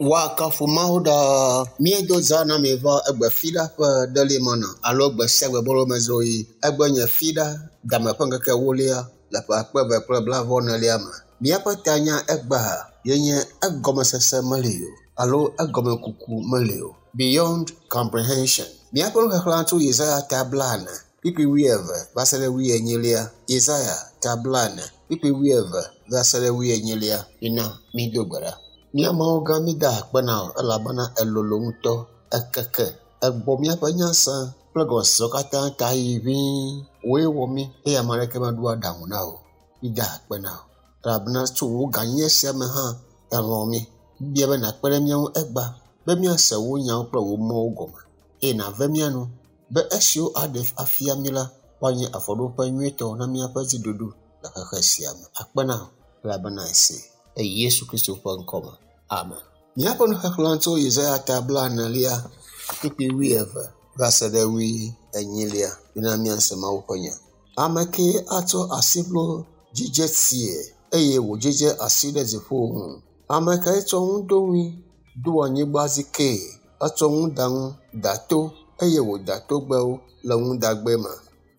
Woakafu Mawu ɖaa. Míedo zã na mi va egbe fiɖa ƒe ɖelimana alo gbe sia gbe bolomezroɣi. Egbe nye fiɖa game ƒe ŋkeke ewolia le ƒe akpe eve kple blaeve-vɔ-enelia me. Míaƒe tanya egbea ye nye egɔmesese meli o alo egɔmekuku meli o. Beyond comprehension. Míaƒe nuxexlẽ tso Yesaya ta 40, kpukpui 20 va se ɖe 24. Yesaya ta 40, kpukpui 20 va se ɖe 24. Mina mído gbe ɖa. Mía Mawu gã mída akpe na wò elabena èlolo ŋutɔ, èkeke, ègbɔ míaƒe nyasã kple gɔmesesewo katã ta yi ʋĩi. Wòe wɔ mí eye ame aɖeke meɖo aɖaŋu na wò. Mída akpe na wò elabena tso wò gãnyenye sia me hã èlɔ̃ mí. Míbia be nàkpe ɖe mía ŋu egbea be míase wò nyawo kple wò mɔwo gɔme eye nàve mía nu be esiwo aɖe afia mí la woanye afɔɖoƒe nyuietɔ na míaƒe dziɖuɖu le xexe sia me. Akpe na wò elabena èsee le Yesu Kristo ƒe ŋkɔme. Amen. Míaƒe nuxexlẽ tso Yesaya ta 40, kpukpui 20 va se ɖe 40. Mina míase Mawu ƒe nya. Ame kae atsɔ asiʋlo dzidze tsie eye wòdzidze asi ɖe dziƒo ŋu? Ame kae tsɔ ŋuɖoŋui ɖo anyigba dzi kee? Etsɔ ŋuɖaŋu da to eye wòda togbɛwo le ŋuɖagbe me.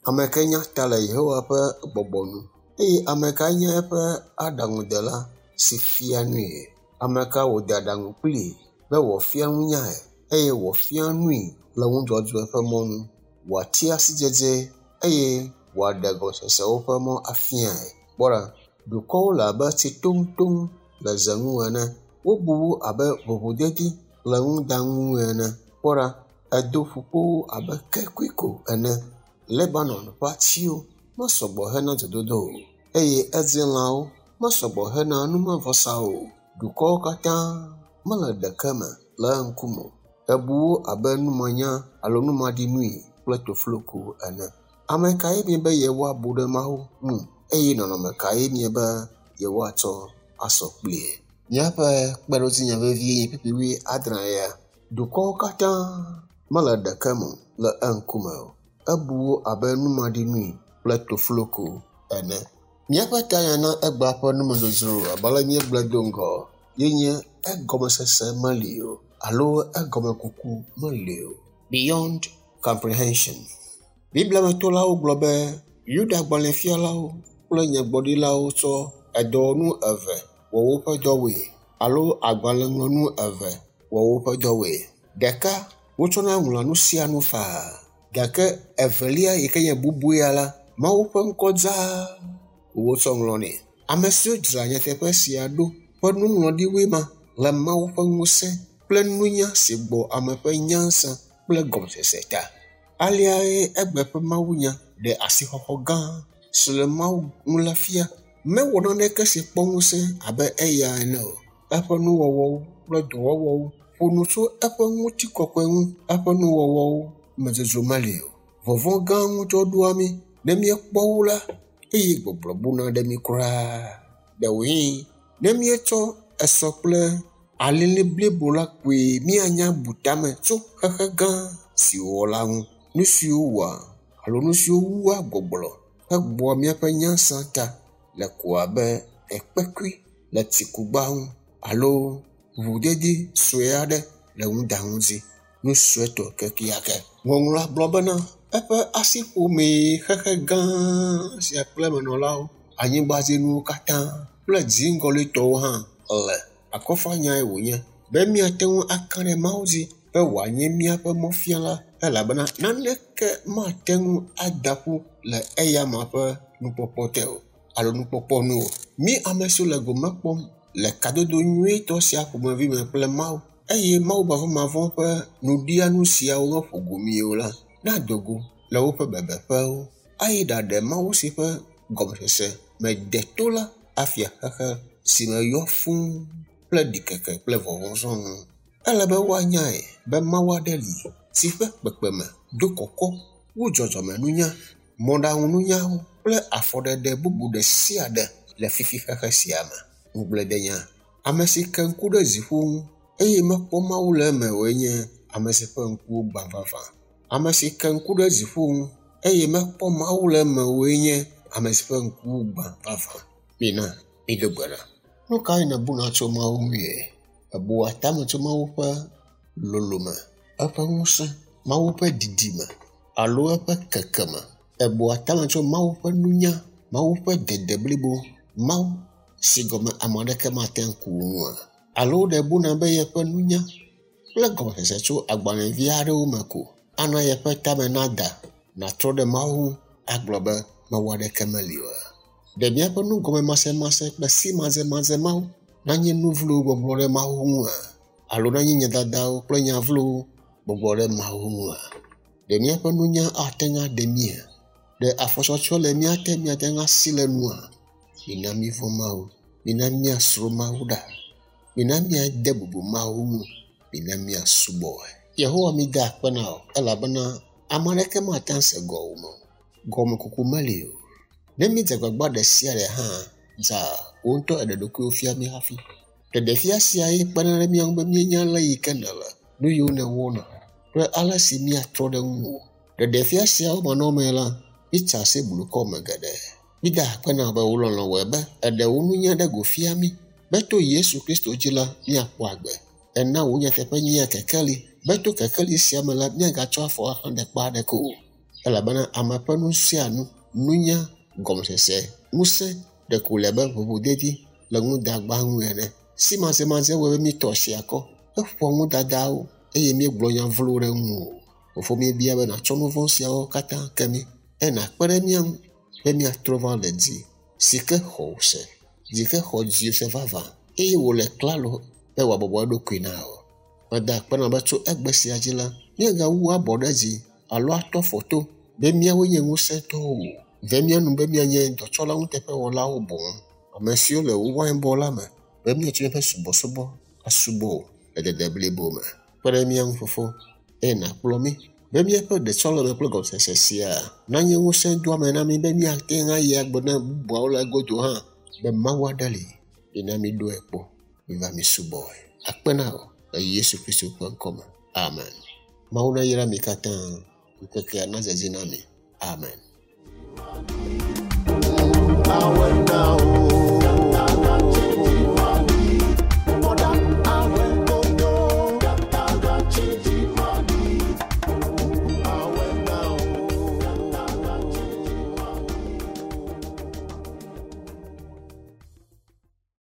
Ame kae nya ta le Yehowa ƒe gbɔgbɔ nu? Eye ame kae nye eƒe aɖaŋudela si fia nui? Ame ka wòde aɖaŋu kplii be wòafia nunyae eye wòafia nui le nudzɔdzɔe ƒe mɔ nu, wòatia sidzedze eye wòaɖe gɔmesesewo ƒe mɔ afiae? Kpɔ ɖa, dukɔwo le abe tsi toŋtoŋ le ze ŋu ene. Wobu wo abe ʋuʋudedi le nuɖaŋu ene. Kpɔ ɖa, edo ƒukpowo abe kekui ko ene. Lebanon ƒe atiwo mesɔgbɔ hena dzododo o eye edzi lãwo mesɔgbɔ hena numevɔsa o. Dukɔwo katã mele ɖeke me le eŋkume o. Ebu wo abe numanya alo numaɖinui kple tofloko ene. Ame kae miebe yewoabu ɖe Mawu ŋu eye nɔnɔme kae miebe yewoatsɔ asɔ kplie? Míaƒe kpeɖodzinya vevie nye kpukpui 90. Dukɔwo katã mele ɖeke me le eŋkume o. Ebu wo abe numaɖinui kple tofloko ene. Míaƒe tanya na egbea ƒe numedzodzro abe ale míegblɔe do ŋgɔ ye nye egɔmesese meli o alo egɔmekuku meli o. Beyond comprehension. Bibliametolawo gblɔ be Yuda-gbalẽfialawo kple nyagblɔɖilawo tsɔ edɔwɔnu eve wɔ woƒe dɔwoe alo agbalẽŋlɔnu eve wɔ woƒe dɔwoe. Ɖeka wotsɔna ŋlɔa nu sia nu faa gake evelia yi ke nye bubuia la, Mawu ƒe ŋkɔ dzaa wotsɔ ŋlɔnɛ. Ame siwo dzra nyateƒe sia ɖo ƒe nuŋlɔɖiwoe ma le Mawu ƒe ŋusẽ kple nunya si gbɔ ame ƒe nyansã kple gɔmesese ta. Aleae egbe ƒe mawunya ɖe asixɔxɔ gã si le Mawu ŋu la fia. Mewɔ naneke si kpɔ ŋusẽ abe eya ene o. Eƒe nuwɔwɔwo kple dɔwɔwɔwo ƒo nu tso eƒe ŋutikɔkɔe ŋu. Eƒe nuwɔwɔwo me dzodzro meli o. Vɔvɔ̃ gã ŋutɔ ɖoa mí ne míekpɔ wo la eye gbɔgblɔ buna ɖe mí kura. Ɖewohĩ ne míetsɔ esɔ kple alili blibo la koe míanya bu tame tso xexe gã si wòwɔ la ŋu. Nu siwo wɔa alo nu siwo wua gbɔgblɔ hegbɔa míaƒe nyasã ta le ko abe ekpekui le tsikugba ŋu alo ʋuʋudedi sue aɖe le nuɖaŋu dzi. Nu suetɔ kekeake. Ŋɔŋlɔa gblɔ bena eƒe asiƒomee xexe gã sia kple emenɔlawo, anyigbadzinuwo katã kple dziŋgɔlitɔwo hã le. Akɔfanyae wònye be míate ŋu aka ɖe Mawu dzi be wòanye míaƒe mɔfiala elabena naneke mate ŋu ada ƒu le eyama ƒe nukpɔkpɔ te o alo nukpɔkpɔ nu o. Mí ame siwo le gome kpɔm le kadodo nyuietɔ sia ƒomevi me kple Mawu eye Mawu mavɔmavɔ ƒe nuɖianu siawo meƒo go mí o la, nado go le woƒe bebeƒewo ayi ɖaɖe Mawu si ƒe gɔmesese me de to la afia xexe si me yɔ fũu kple ɖikeke kple vɔvɔ̃ sɔŋ. Ele be woanyae be Mawu aɖe li si ƒe kpekpeme do kɔkɔ wu dzɔdzɔmenunya, mɔɖaŋununyawo kple afɔɖeɖe bubu ɖe sia ɖe le fifi xexe sia me. Ŋugbledenya. Ame si ke ŋku ɖe dziƒo ŋu eye mekpɔ Mawu le eme oe nye ame si ƒe ŋkuwo gbã vavã. Ame si ke ŋku ɖe dziƒo ŋu eye mekpɔ Mawu le eme oe nye ame si ƒe ŋku gbã vavã. Mina mído gbe ɖa. Nu kae nèbuna tso Mawu ŋue? Èbua tame tso Mawu ƒe lolome, eƒe ŋusẽ, Mawu ƒe didime alo eƒe kekeme? Èbua tame tso Mawu ƒe nunya, Mawu ƒe dede blibo, Mawu si gɔme ame aɖeke mate ŋu aku ŋua? Alo ɖe èbuna be yeƒe nunya kple gɔmesese tso agbalẽvi aɖewo me ko ana yeƒe tame nada, nàtrɔ ɖe Mawu ŋu agblɔ be Mawu aɖeke meli oa? Ɖe míaƒe nugɔmemasemase kple simadzemadzẽ mawo nanye nu vlowo gbɔgblɔ ɖe Mawu ŋua? Alo nanye nya dadawo kple nya vlowo gbɔgblɔ ɖe Mawu ŋua? Ɖe míaƒe nunya ate ŋu aɖe mía? Ɖe afɔtsɔtsɔ le mía te míate ŋu asi le nua? Mina mívɔ̃ Mawu. Mina míasro Mawu ɖa. Mina míade bubu Mawu ŋu. Mina míasubɔe. Yehowa mída akpe na wò elabena ame aɖeke mate ŋu ase gɔwòme o. Gɔmekuku meli o. Ne míedze agbagba ɖe sia ɖe hã, dza wò ŋutɔ èɖe ɖokuiwò fia mí hafi. Ɖeɖefia sia ye kpena ɖe mía ŋu be míenya ale yi ke nèle, nu yiwo nèwɔna kple ale si míatrɔ ɖe ŋuwò. Ɖeɖefia siawo manɔmee la, míetsa asi blukɔ me geɖe. Mída akpe na wò be wò lɔlɔ̃ wɔe be èɖe wò nunya ɖe go fia mí be to Yesu Kristo dzi la, míakpɔ agbe. Èna wò nyateƒe nyea kekeli be to kekeli sia me la, míagatsɔ afɔ axlẽ ɖe kpe aɖeke o. Elabena ame ƒe nu sia nu, nunya, gɔmesese, ŋusẽ ɖeko wòle abe ʋuʋudedi le nudagba ŋu ene. Simadzemadzẽ wɔe be míetɔ asi akɔ heƒoa nudadawo eye míegblɔ nya vlowo ɖe ŋuwò. Fofo míebia be nàtsɔ nu vɔ̃ siawo katã ke mí eye nàkpe ɖe mía ŋu be míatrɔ va le dzi si ke xɔ wò se, dzi ke xɔ dziwò se vavã eye wòle klalo be wòabɔbɔ eɖokui na wò. Meda akpe na wò be tso egbe sia dzi la, míagawu abɔ ɖe dzi alo atɔ afɔ to be míawoe nye ŋusẽtɔwo o. Ve mía nu be míanye dɔtsɔla nuteƒewɔlawo boŋ, ame siwo le wò wainbɔ la me be míatsɔ míaƒe subɔsubɔ asubɔ wò le dede blibo me. Kpe ɖe mía ŋu Fofo eye nàkplɔ mí be míaƒe ɖetsɔleme kple gɔmesese sia nanye ŋusẽdoame na mí be míate ŋu ayi agblɔ na bubuawo le egodo hã be Mawu aɖe li. Mina míɖoe kpɔ, miva mísubɔe. Akpe na wò le Yesu Kristo ƒe ŋkɔ me. Amen. Mawu nayra mi katã. Ŋkekea nadze edzi na mi. Amen. Awena o.